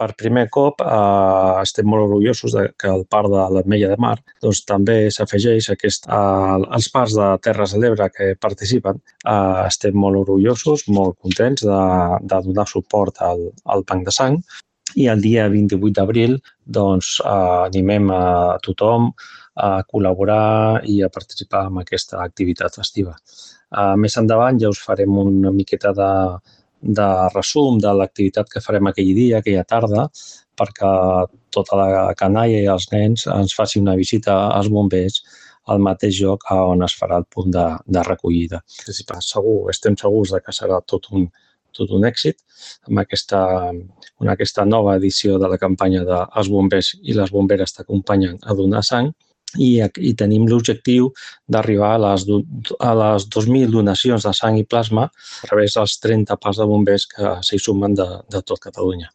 Per primer cop estem molt orgullosos que al Parc de l'Ametlla de Mar també s'afegeix als parcs de Terres de l'Ebre que participen. Estem molt orgullosos, molt contents de donar suport al Banc de Sang i el dia 28 d'abril animem a tothom a col·laborar i a participar en aquesta activitat festiva. Més endavant ja us farem una miqueta de resum de l'activitat que farem aquell dia, aquella tarda, perquè tota la canalla i els nens ens facin una visita als bombers al mateix lloc on es farà el punt de recollida. Estem segurs que serà tot un èxit amb aquesta nova edició de la campanya dels bombers i les bomberes t'acompanyen a donar sang i tenim l'objectiu d'arribar a les 2.000 donacions de sang i plasma a través dels 30 parcs de bombers que s'hi sumen de tot Catalunya.